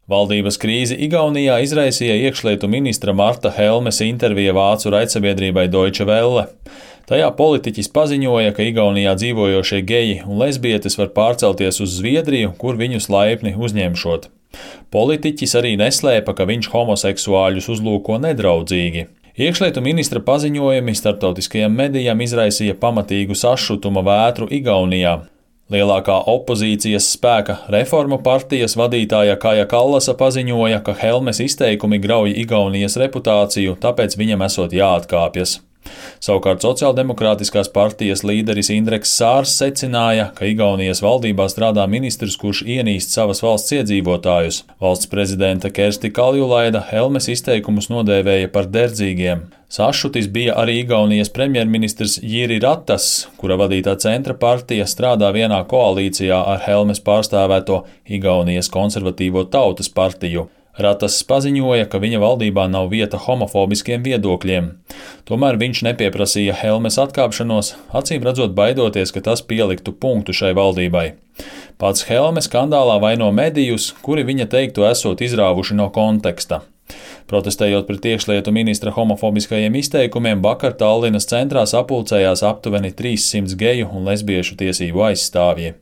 Valdības krīzi Igaunijā izraisīja iekšlietu ministra Marta Helmes intervija vācu raidsabiedrībai Deutsche Welle. Tajā politiķis paziņoja, ka Igaunijā dzīvojošie geji un lesbietes var pārcelties uz Zviedriju, kur viņus laipni uzņemšot. Politiķis arī neslēpa, ka viņš homoseksuāļus uzlūko nedraudzīgi. Iekšlietu ministra paziņojumi starptautiskajiem medijiem izraisīja pamatīgu sašutuma vētru Igaunijā. Lielākā opozīcijas spēka Reformu partijas vadītāja Kaja Kallasa paziņoja, ka Helmes izteikumi grauj Igaunijas reputāciju, tāpēc viņam esot jāatkāpjas. Savukārt Sociāldemokrātiskās partijas līderis Indreks Sārs secināja, ka Igaunijas valdībā strādā ministrs, kurš ienīst savas valsts iedzīvotājus. Valsts prezidente Kersti Kaljulaida Helmes izteikumus nodēvēja par derdzīgiem. Sašutis bija arī Igaunijas premjerministrs Jiri Ratas, kura vadītā centra partija strādā vienā koalīcijā ar Helmes pārstāvēto Igaunijas konservatīvo tautas partiju. Ratas paziņoja, ka viņa valdībā nav vieta homofobiskiem viedokļiem. Tomēr viņš nepieprasīja Helmes atkāpšanos, acīm redzot baidoties, ka tas pieliktu punktu šai valdībai. Pats Helme skandālā vaino medijus, kuri viņa teiktu esot izrāvuši no konteksta. Protestējot pret iekšlietu ministra homofobiskajiem izteikumiem, vakar Tallinas centrā sapulcējās aptuveni 300 geju un lesbiešu tiesību aizstāvji.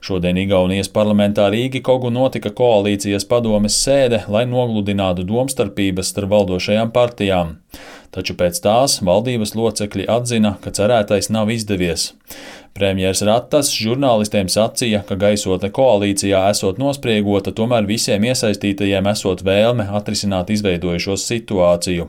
Šodien Igaunijas parlamentā Rīgikogu notika koalīcijas padomes sēde, lai nogludinātu domstarpības starp valdošajām partijām. Taču pēc tās valdības locekļi atzina, ka cerētais nav izdevies. Premjers Ratas žurnālistiem sacīja, ka gaisotne koalīcijā esot nospriegota, tomēr visiem iesaistītajiem esot vēlme atrisināt izveidojušos situāciju.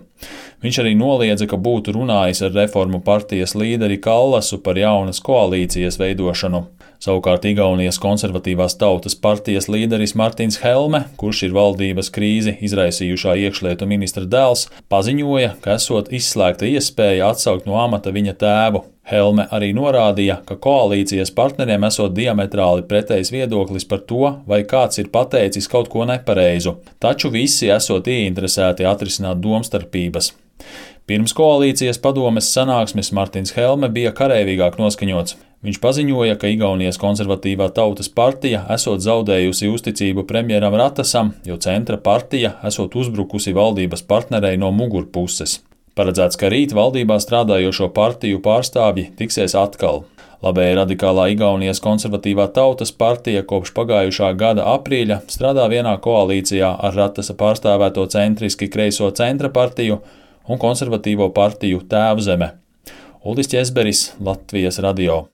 Viņš arī noliedza, ka būtu runājis ar Reformu partijas līderi Kallasu par jaunas koalīcijas veidošanu. Savukārt Igaunijas konservatīvās tautas partijas līderis Martins Helme, kurš ir valdības krīzi izraisījušā iekšlietu ministra dēls, paziņoja, ka esot izslēgta iespēja atsaukt no amata viņa tēvu. Helme arī norādīja, ka koalīcijas partneriem esot diametrāli pretējs viedoklis par to, vai kāds ir pateicis kaut ko nepareizu, taču visi esot ieinteresēti atrisināt domstarpības. Pirms koalīcijas padomes sanāksmes Martins Helme bija kareivīgāk noskaņots. Viņš paziņoja, ka Igaunijas konservatīvā tautas partija esot zaudējusi uzticību premjeram Ratasam, jo centra partija esot uzbrukusi valdības partnerei no mugurpuses. Paredzēts, ka rīt valdībā strādājošo partiju pārstāvji tiksies atkal. Labēji radikālā Igaunijas konservatīvā tautas partija kopš pagājušā gada aprīļa strādā vienā koalīcijā ar Ratasa pārstāvēto centriski kreiso centra partiju un konservatīvo partiju Tēvzeme. Uldis Ķezberis, Latvijas radio.